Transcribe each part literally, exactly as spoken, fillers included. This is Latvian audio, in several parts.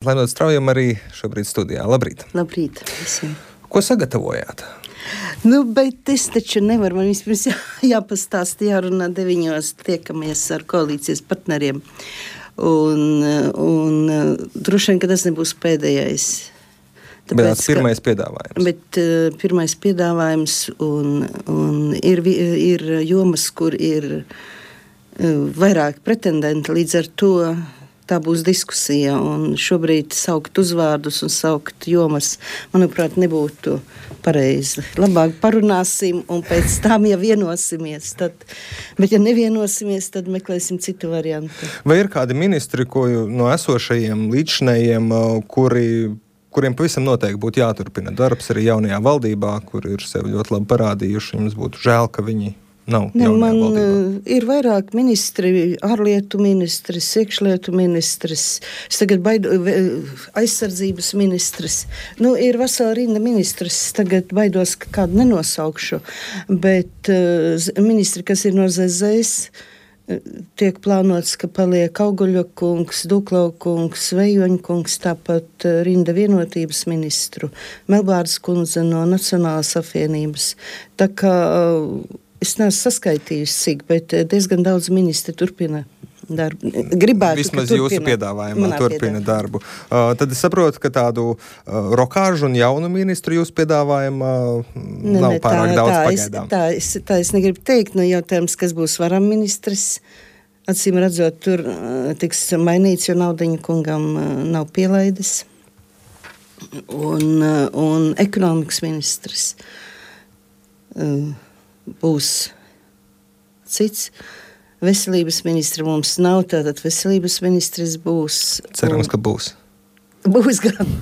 Laimot Straujam arī šobrīd studijā. Labrīt! Labrīt visiem! Ko sagatavojāt? Nu, bet es taču nevaru, man vispirms jā, jāpastāst, jārunā deviņos tiekamies ar koalīcijas partneriem. Un, un droši vien, ka tas nebūs pēdējais. Tāpēc, bet tāds pirmais piedāvājums. Bet uh, pirmais piedāvājums un, un ir, ir jomas, kur ir uh, vairāk pretendenti, līdz ar to tā būs diskusija, un šobrīd saukt uzvārdus un saukt jomas, manuprāt, nebūtu pareizi. Labāk parunāsim, un pēc tam, ja vienosimies, tad, bet ja nevienosimies, tad meklēsim citu variantu. Vai ir kādi ministri, ko no esošajiem līdzinējiem, kuri, kuriem pavisam noteikti būtu jāturpina darbs arī jaunajā valdībā, kur ir sevi ļoti labi parādījuši, jums būtu žēl, ka viņi nav ne, man valdībā? Ir vairāk ministri, ārlietu ministrs, iekšlietu ministrs, tagad baidu, aizsardzības ministrs. Nu, ir vesela rinda ministrs, tagad baidos, ka kādu nenosaukšu, bet uh, ministri, kas ir no Z Z S, tiek plānots, ka paliek Auguļa kungs, Duklau kungs, Vejoņa kungs, tāpat uh, rinda vienotības ministru, Melbārdas kundze no Nacionālās apvienības. Tā kā uh, es neesmu saskaitījusi, cik, bet diezgan daudz ministri turpina darbu. Gribētu, vismaz ka jūsu turpina, piedāvājumā turpina darbu. Uh, tad es saprotu, ka tādu uh, rokāžu un jaunu ministru jūsu piedāvājumā ne, nav ne, pārāk tā, daudz tā pagaidām. Es, tā, es, tā es negribu teikt, nu jautājums, kas būs varam ministrs. Acīm redzot, tur uh, tiks mainīts, jo Naudiņa kungam uh, nav pielaidis. Un, uh, un ekonomikas ministrs uh, būs cits. Veselības ministra mums nav, tātad veselības ministrs būs. Cerams, un, ka būs. Būs gan.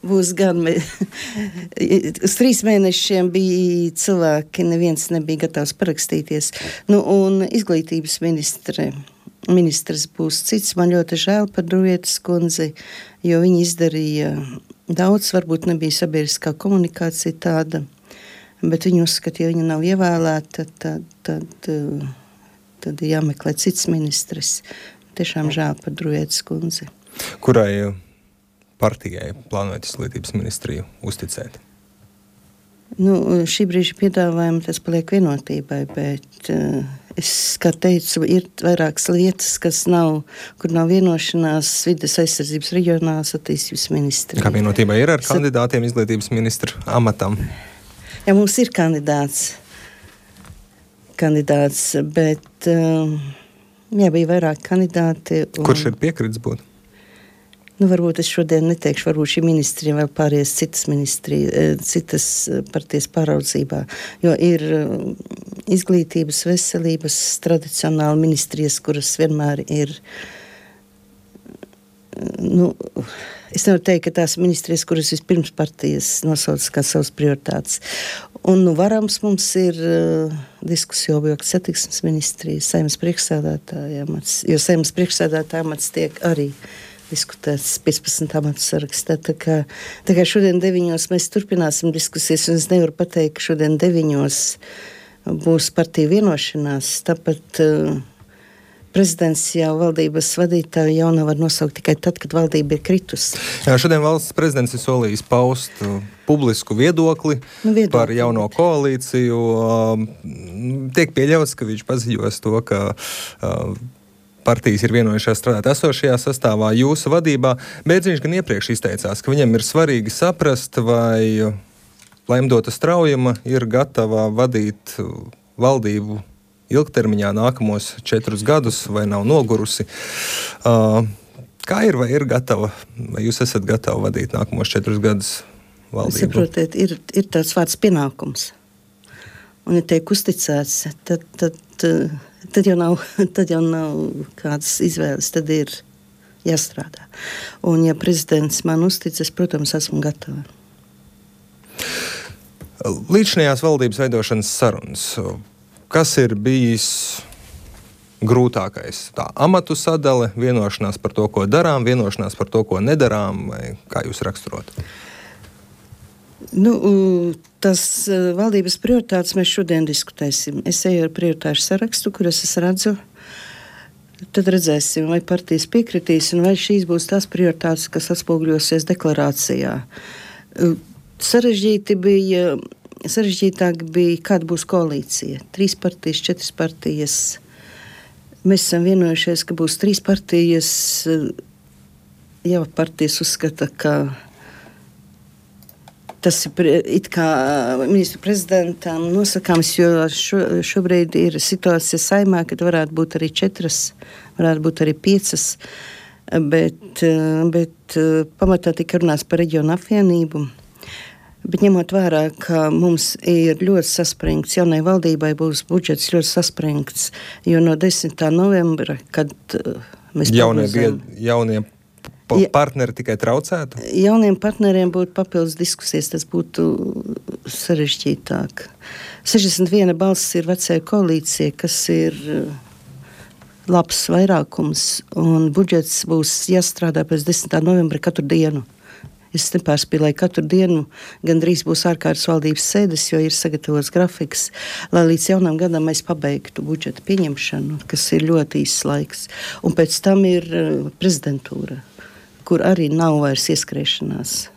Būs gan. Uz trīs mēnešiem bija cilvēki, neviens nebija gatavs parakstīties. Nu, un izglītības ministre, ministrs būs cits. Man ļoti žēl par Druvietas kundzi, jo viņa izdarīja daudz, varbūt nebija sabiedriskā komunikācija tāda. Bet viņi uzskata, ja viņa nav ievēlēta, tad, tad, tad ir jāmeklē cits ministrs. Tiešām žēl par Druvietas kundzi. Kurai partijai plānojat izglītības ministriju uzticēt? Nu, šī brīža piedāvājuma tas paliek vienotībai, bet uh, es, kā teicu, ir vairākas lietas, kas nav, kur nav vienošanās vides aizsardzības reģionālās attīstības ministrija. Kā vienotībai ir ar kandidātiem izglītības ministru amatam? Jā, mums ir kandidāts, kandidāts, bet uh, jā, bija vairāk kandidāti. Un, kurš ir piekritis būt? Nu, varbūt es šodien neteikšu, varbūt šī ministrija vēl pāries citas ministrija, citas partijas pāraudzībā, jo ir izglītības, veselības, tradicionāli ministrijas, kuras vienmēr ir, nu, es nevaru teikt, ka tās ministrijas, kuras vispirms partijas nosauc kā savas prioritātes. Un nu, varams mums ir uh, diskusija objekta satiksmes ministrija, Saeimas priekšsēdētāja amats, jo Saeimas priekšsēdētāja amats tiek arī diskutēts piecpadsmit amatu sarakstā. Tā kā, tā kā šodien deviņos mēs turpināsim diskusijas, un es nevaru pateikt, ka šodien deviņos būs partija vienošanās, tāpat uh, prezidents jau valdības vadītāju jau nav var nosaukt tikai tad, kad valdība ir kritusi. Jā, šodien valsts prezidents ir solījis paust uh, publisku viedokli, nu, viedokli par jauno koalīciju. Uh, tiek pieļauts, ka viņš paziņos to, ka uh, partijas ir vienojušās strādāt esošajā sastāvā jūsu vadībā, bet viņš gan iepriekš izteicās, ka viņam ir svarīgi saprast, vai Laimdota Straujama ir gatava vadīt valdību ilgtermiņā nākamos četrus gadus, vai nav nogurusi. Uh, kā ir, vai ir gatava, vai jūs esat gatavi vadīt nākamos četrus gadus valdību? Saprotiet, ir, ir tāds vārds pienākums. Un, ja tiek uzticēts, tad, tad, tad, jau nav, tad jau nav kādas izvēles, tad ir jāstrādā. Un, ja prezidents man uzticas, protams, esmu gatava. Līdzinājās valdības veidošanas sarunas. Kas ir bijis grūtākais? Tā amatu sadale, vienošanās par to, ko darām, vienošanās par to, ko nedarām, vai kā jūs raksturot? Nu, tas valdības prioritātes mēs šodien diskutēsim. Es eju ar prioritāšu sarakstu, kuras es redzu. Tad redzēsim, vai partijas piekritīs, un vai šīs būs tās prioritātes, kas atspoguļosies deklarācijā. Sarežģīti bija, sarežģītāk bija, kāda būs koalīcija. Trīs partijas, četras partijas. Mēs esam vienojušies, ka būs trīs partijas. Jā, partijas uzskata, ka tas ir it kā ministru prezidentam nosakāms, jo šo, šobrīd ir situācija Saeimā, kad varētu būt arī četras, varētu būt arī piecas, bet, bet pamatā tika runāts par reģionu apvienību. Bet ņemot vērā, ka mums ir ļoti saspringts, jaunai valdībai būs budžets ļoti saspringts, jo no desmitā novembra, kad mēs jaunie, prognozējam, jaunie partneri tikai traucētu? Jauniem partneriem būtu papildus diskusijas, tas būtu sarežģītāk. sešdesmit viena balss ir vecajai koalīcijai, kas ir labs vairākums, un budžets būs jāstrādā pēc desmitā novembra katru dienu. Es nepārspīlēju, katru dienu gandrīz būs ārkārtas valdības sēdes, jo ir sagatavots grafiks, lai līdz jaunam gadam mēs pabeigtu budžeta pieņemšanu, kas ir ļoti īsts laiks. Un pēc tam ir prezidentūra, kur arī nav vairs ieskriešanās.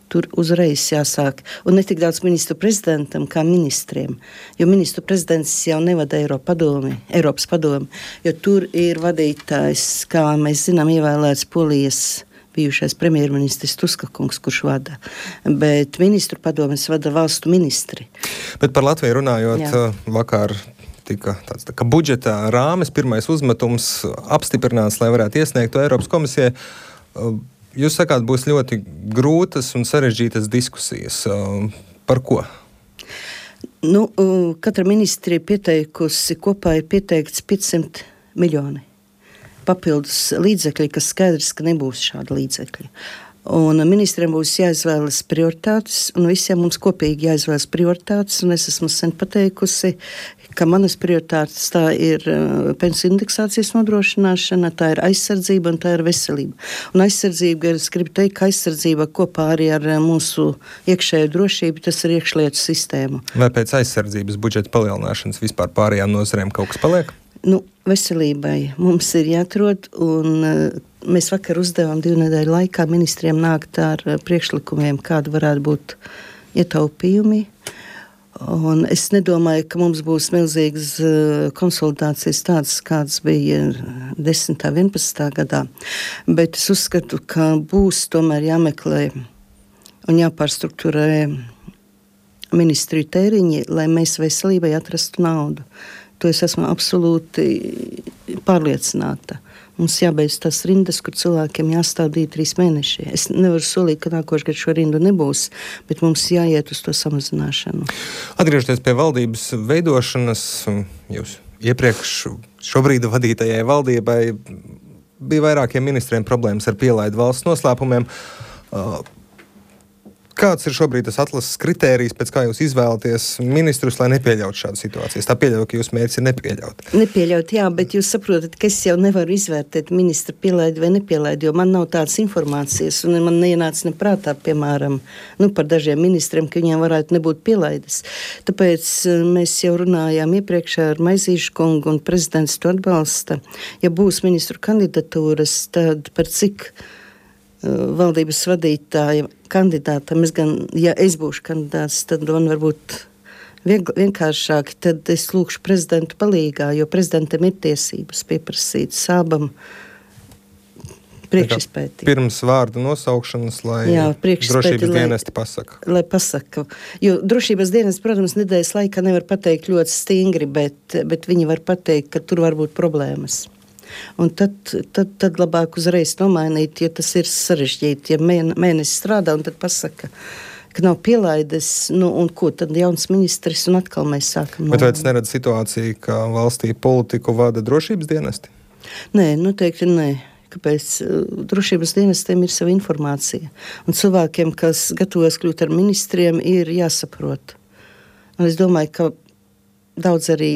Tur uzreiz jāsāk. Un ne tik daudz ministru prezidentam kā ministriem, jo ministru prezidents jau nevada Eiropa padomi, Eiropas padomi, jo tur ir vadītājs, kā mēs zinām, ievēlēts Polijas bijušais premjerministrs Tuska kungs, kurš vada. Bet ministru padomes vada valstu ministri. Bet par Latviju runājot, Jā. vakar tika tāds tā kā budžeta rāmes, pirmais uzmetums apstiprināts, lai varētu iesniegt to Eiropas komisijai. Jūs sakāt, būs ļoti grūtas un sarežģītas diskusijas. Par ko? Nu, katra ministri pieteikusi, kopā ir pieteikts piecsimt miljoni papildus līdzekļi, kas skaidrs, ka nebūs šāda līdzekļi. Un ministriem būs jāizvēlas prioritātes, un visiem mums kopīgi jāizvēlas prioritātes, un es esmu sen pateikusi, ka manas prioritātes tā ir uh, pensiju indeksācijas nodrošināšana, tā ir aizsardzība un tā ir veselība. Un aizsardzība, es gribu teikt, ka aizsardzība kopā arī ar uh, mūsu iekšējo drošību, tas ir iekšlietu sistēmu. Vai pēc aizsardzības budžeta palielināšanas vispār pārējām nozarēm kaut kas paliek? Nu, veselībai mums ir jāatrod, un uh, mēs vakar uzdevām divu nedēļu laikā ministriem nākt ar uh, priekšlikumiem, kāda varētu būt ietaupījumi. Un es nedomāju, ka mums būs milzīgas uh, konsultācijas tādas, kādas bija desmitā, vienpadsmitā gadā, bet es uzskatu, ka būs tomēr jāmeklē un jāpārstruktūrē ministriju tēriņi, lai mēs veselībai atrastu naudu. To es esmu absolūti pārliecināta. Mums jābeidz tās rindas, kur cilvēkiem jāstāv divi, trīs mēneši. Es nevaru solīt, ka nākošais gadu šo rindu nebūs, bet mums jāiet uz to samazināšanu. Atgriežoties pie valdības veidošanas, jūs iepriekš šobrīd vadītajai valdībai bija vairākiem ministriem problēmas ar pielaidu valsts noslēpumiem. Kāds ir šobrīd tas atlases kritērijs, pēc kā jūs izvēlaties ministrus, lai nepieļautu šādu situāciju? Tā pieļauju, ka jūs mērķis ir nepieļaut. Nepieļaut, jā, bet jūs saprotat, ka es jau nevaru izvērtēt ministra pielaidu vai nepieilaidu, jo man nav tādas informācijas, un man neienāca neprātā, piemēram, nu, par dažiem ministriem, ka viņiem varētu nebūt pielaides. Tāpēc mēs jau runājām iepriekšā ar Maizīšu kungu, un prezidents to atbalsta. Ja būs ministru kandidatūras, tad par cik valdības vadītāja kandidātam, es gan, ja es būšu kandidāts, tad man varbūt viegl, vienkāršāk, tad es lūkšu prezidentu palīgā, jo prezidentam ir tiesības pieprasīt sābam priekšizpētī. Pirms vārdu nosaukšanas, lai Jā, drošības dienesti pasaka. Lai pasaka. Jo drošības dienesti, protams, nedēļas laikā nevar pateikt ļoti stingri, bet, bet viņi var pateikt, ka tur var būt problēmas. Un tad, tad, tad labāk uzreiz nomainīt, ja tas ir sarežģīti, ja mēnesis strādā un tad pasaka, ka nav pielaides, nu un ko, tad jauns ministrs un atkal mēs sākam. Bet vai tas neredz situāciju, ka valstī politiku vada drošības dienesti? Nē, noteikti nē. Kāpēc? Drošības dienestiem ir sava informācija. Un cilvēkiem, kas gatavojas kļūt ar ministriem, ir jāsaprot. Un es domāju, ka daudz arī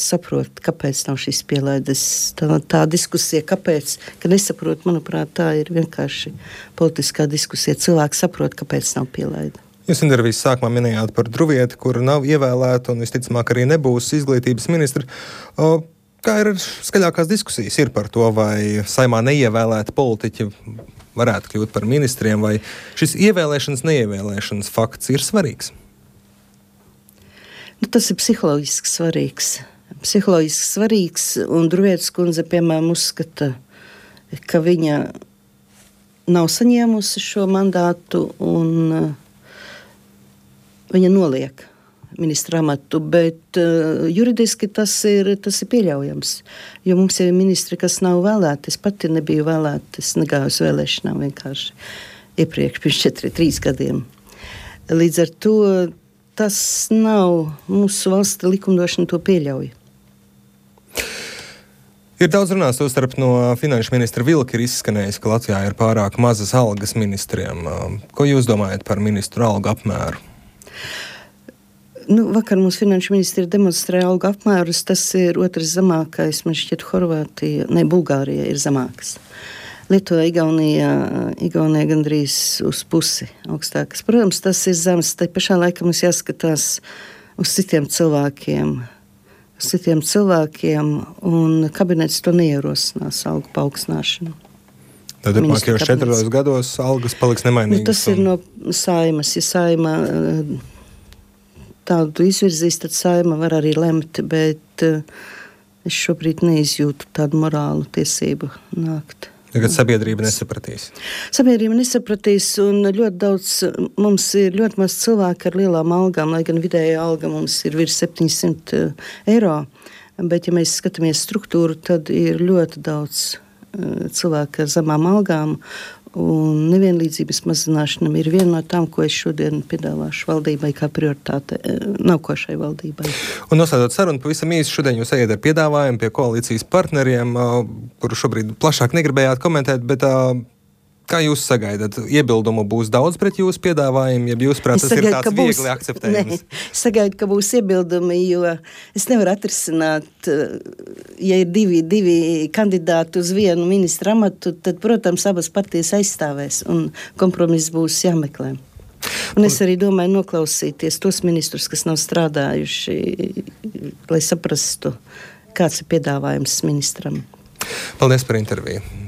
saprot, kāpēc nav šīs pielaides. Tā, tā diskusija, kāpēc, ka nesaprot, manuprāt, tā ir vienkārši politiskā diskusija. Cilvēki saprot, kāpēc nav pielaida. Jūs intervijas sākumā minējāt par Druvieti, kur nav ievēlēta un visticamāk arī nebūs izglītības ministra. O, Kā ir skaļākās diskusijas ir par to, vai Saimā neievēlēti politiķi varētu kļūt par ministriem, vai šis ievēlēšanas, neievēlēšanas fakts ir svarīgs? Nu, tas ir psiholoģiski svarīgs. Psiholoģiski svarīgs, un Druvietas kundze, piemēram, uzskata, ka viņa nav saņēmusi šo mandātu, un uh, viņa noliek ministra amatu, bet uh, juridiski tas ir, tas ir pieļaujams, jo mums ir ministri, kas nav vēlēti. Es pati nebiju vēlēta, es negāju uz vēlēšanām vienkārši iepriekš, pirms četri, trīs gadiem. Līdz ar to tas nav, mūsu valsts likumdošana to pieļauj. Ir daudz runās, tostarp no finanšu ministra Vilka ir izskanējis, ka Latvijā ir pārāk mazas algas ministriem. Ko jūs domājat par ministru algu apmēru? Nu, vakar mums finanšu ministri demonstrēja algu apmērus, tas ir otrs zemākais, man šķiet Horvātija, ne, Bulgārija ir zemākas. Lietuvā, Igaunijā, Igaunijā gandrīz uz pusi augstākas. Protams, tas ir zemes, tai pašā laikā mums jāskatās uz citiem cilvēkiem, uz citiem cilvēkiem, un kabinets to neierosinās algu paaugstināšanu. Tad turpmākajos četros gados algas paliks nemainīgas. Nu, tas un... ir no Saimas, ja Saima tādu izvirzīs, tad Saima var arī lemt, bet uh, es šobrīd neizjūtu tādu morālu tiesību nākt. Tagad sabiedrība nesapratīs. Sabiedrība nesapratīs, un ļoti daudz, mums ir ļoti maz cilvēku ar lielām algām, lai gan vidēja alga mums ir virs septiņsimt eiro, bet ja mēs skatāmies struktūru, tad ir ļoti daudz uh, cilvēku ar zemām algām, un nevienlīdzības mazināšana ir viena no tām, ko es šodien piedāvāšu valdībai kā prioritāte nākošai valdībai. Un noslēdzot sarunu, pavisam īsi šodien jūs ejat ar piedāvājumu pie koalīcijas partneriem, kuru šobrīd plašāk negribējāt komentēt, bet kā jūs sagaidat? Iebildumu būs daudz pret jūsu piedāvājumu, ja jūs prāt, tas sagaidu, ir tāds būs, viegli akceptējums? Nē, es sagaidu, ka būs iebildumi, jo es nevaru atrisināt, ja ir divi, divi kandidāti uz vienu ministra amatu, tad, protams, abas partijas aizstāvēs un kompromiss būs jāmeklē. Un es arī domāju noklausīties tos ministrus, kas nav strādājuši, lai saprastu, kāds ir piedāvājums ministram. Paldies par interviju.